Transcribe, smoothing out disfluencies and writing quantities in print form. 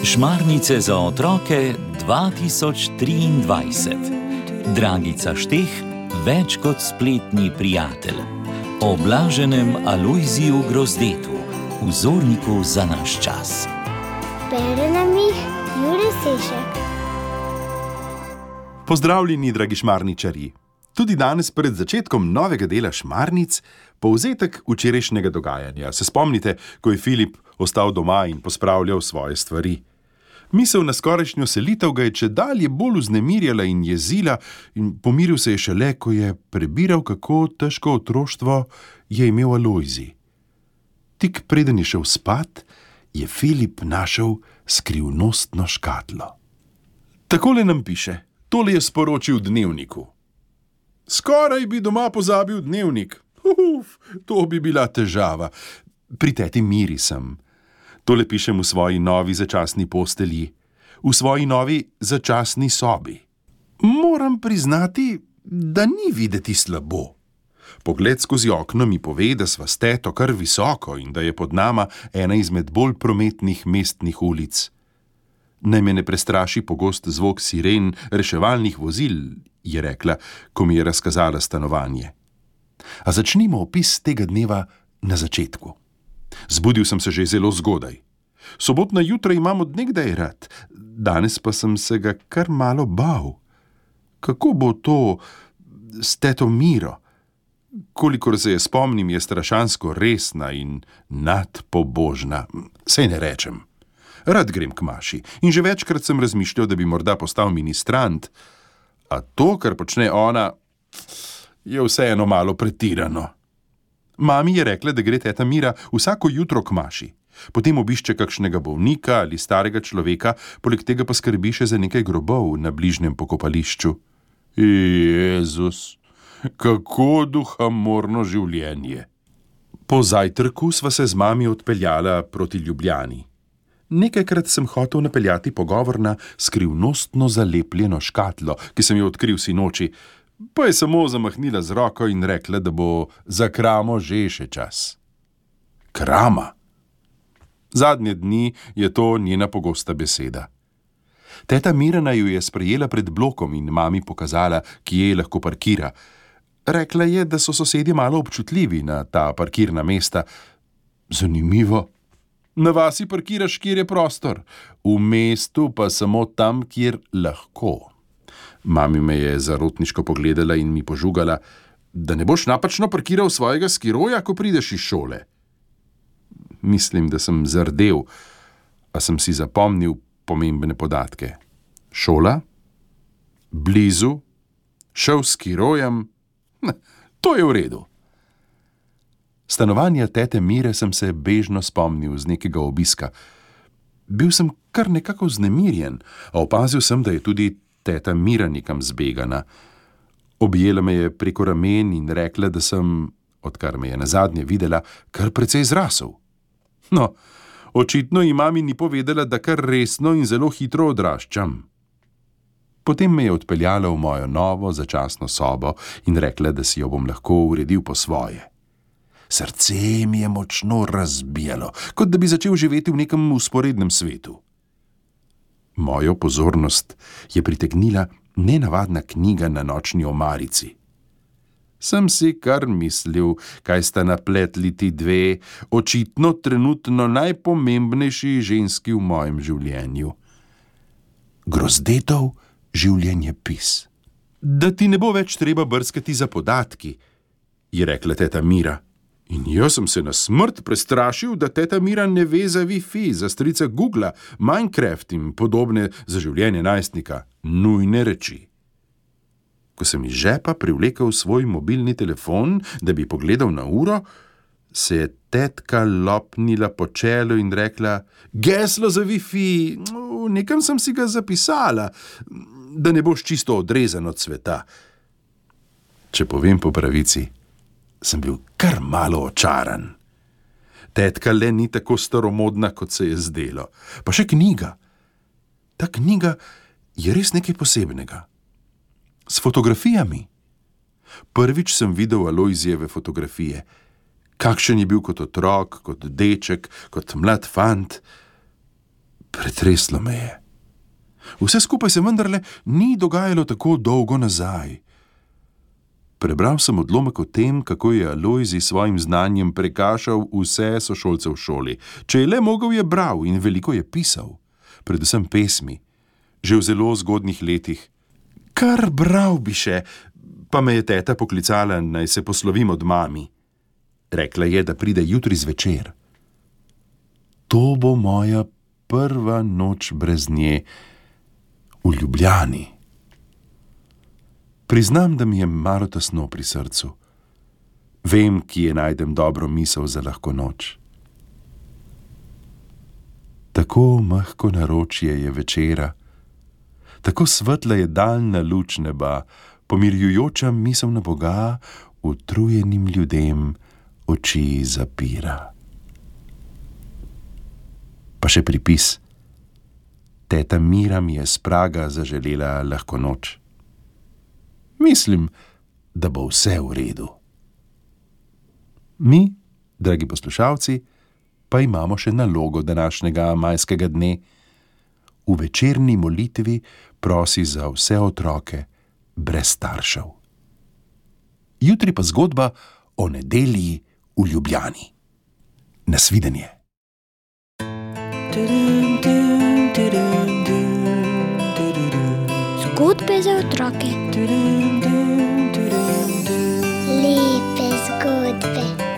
Šmarnice za otroke 2023. Dragica Šteh, več kot spletni prijatelj. O blaženem Alojziju Grozdetu, vzorniku za naš čas. Bere nam jih Jure Sešek. Pozdravljeni, dragi šmarničarji. Tudi danes pred začetkom novega dela Šmarnic povzetek včerajšnjega dogajanja. Se spomnite, ko je Filip ostal doma in pospravljal svoje stvari? Misel na skorajšnjo selitev ga je čedalje bolj vznemirjala in jezila in pomiril se je šele, ko je prebiral, kako težko otroštvo je imel Alojzij. Tik preden je šel spat, je Filip našel skrivnostno škatlo. Takole nam piše, tole je sporočil dnevniku. Skoraj bi doma pozabil dnevnik. To bi bila težava. Pri teti Miri sem. Tole pišem v svoji novi začasni postelji, v svoji novi začasni sobi. Moram priznati, da ni videti slabo. Pogled skozi okno mi pove, da sva s teto kar visoko in da je pod nama ena izmed bolj prometnih mestnih ulic. Naj me ne prestraši pogost zvok siren reševalnih vozil, je rekla, ko mi je razkazala stanovanje. A začnimo opis tega dneva na začetku. Zbudil sem se že zelo zgodaj. Sobotna jutra imam od nekdaj rad, danes pa sem se ga kar malo bal. Kako bo to s teto Miro? Kolikor se je spomnim, je strašansko resna in nadpobožna. Saj ne rečem. Rad grem k maši in že večkrat sem razmišljal, da bi morda postal ministrant, a to, kar počne ona, je vseeno malo pretirano. Mami je rekla, da gre teta Mira vsako jutro k maši. Potem obišče kakšnega bolnika ali starega človeka, poleg tega pa skrbi še za nekaj grobov na bližnjem pokopališču. Jezus, kako duhamorno življenje. Po zajtrku sva se z mami odpeljala proti Ljubljani. Nekajkrat sem hotel napeljati pogovor na skrivnostno zalepljeno škatlo, ki sem jo odkril sinoči, pa je samo zamahnila z roko in rekla, da bo za kramo že še čas. Krama? Zadnje dni je to njena pogosta beseda. Teta Mirana ju je sprejela pred blokom in mami pokazala, kje lahko parkira. Rekla je, da so sosedje malo občutljivi na ta parkirna mesta. Zanimivo. Na vasi parkiraš, kjer je prostor, v mestu pa samo tam, kjer lahko. Mami me je zarotniško pogledala in mi požugala, da ne boš napačno parkiral svojega skiroja, ko prideš iz šole. Mislim, da sem zardel, a sem si zapomnil pomembne podatke. Šola? Blizu? Šel s skirojem? To je v redu. Stanovanja tete Mire sem se bežno spomnil z nekega obiska. Bil sem kar nekako vznemirjen, a opazil sem, da je tudi teta Mira nekam zbegana. Objela me je preko ramen in rekla, da sem, odkar me je nazadnje videla, kar precej zrasel. No, očitno ji mami ni povedala, da kar resno in zelo hitro odraščam. Potem me je odpeljala v mojo novo začasno sobo in rekla, da si jo bom lahko uredil po svoje. Srce mi je močno razbijalo, kot da bi začel živeti v nekem vzporednem svetu. Mojo pozornost je pritegnila nenavadna knjiga na nočni omarici. Sem si kar mislil, kaj sta napletli ti dve, očitno trenutno najpomembnejši ženski v mojem življenju. Grozdetov življenjepis. Da ti ne bo več treba brskati za podatki, je rekla teta Mira. In jaz sem se na smrt prestrašil, da teta Mira ne ve za Wi-Fi, za strica Googla, Minecraft in podobne za življenje najstnika. Nujne reči. Ko sem iz žepa privlekel svoj mobilni telefon, da bi pogledal na uro, se je tetka lopnila po čelu in rekla: Geslo za Wi-Fi, nekam sem si ga zapisala, da ne boš čisto odrezan od sveta. Če povem po pravici, sem bil kar malo očaran. Tetka le ni tako staromodna, kot se je zdelo. Pa še knjiga. Ta knjiga je res nekaj posebnega. S fotografijami. Prvič sem videl Alojzijeve fotografije. Kakšen je bil kot otrok, kot deček, kot mlad fant. Pretreslo me je. Vse skupaj se vendarle ni dogajalo tako dolgo nazaj. Prebral sem odlomek o tem, kako je Alojzij s svojim znanjem prekašal vse sošolce v šoli. Če je le mogel, je bral in veliko je pisal. Predvsem pesmi. Že v zelo zgodnjih letih. Kar bral bi še, pa me je teta poklicala, naj se poslovim od mami. Rekla je, da pride jutri zvečer. To bo moja prva noč brez nje v Ljubljani. Priznam, da mi je malo tesno pri srcu. Vem, kje najdem dobro misel za lahko noč. Tako mehko naročje je večera, tako svetla je daljna luč neba, pomirjujoča misel na Boga utrujenim ljudem oči zapira. Pa še pripis. Teta Mira mi je s praga zaželela lahko noč. Mislim, da bo vse v redu. Mi, dragi poslušalci, pa imamo še nalogo današnjega majskega dne. V večerni molitvi prosi za vse otroke brez staršev. Jutri pa zgodba o nedelji v Ljubljani. Nasvidenje. Zgodbe za otroke. Lepe zgodbe.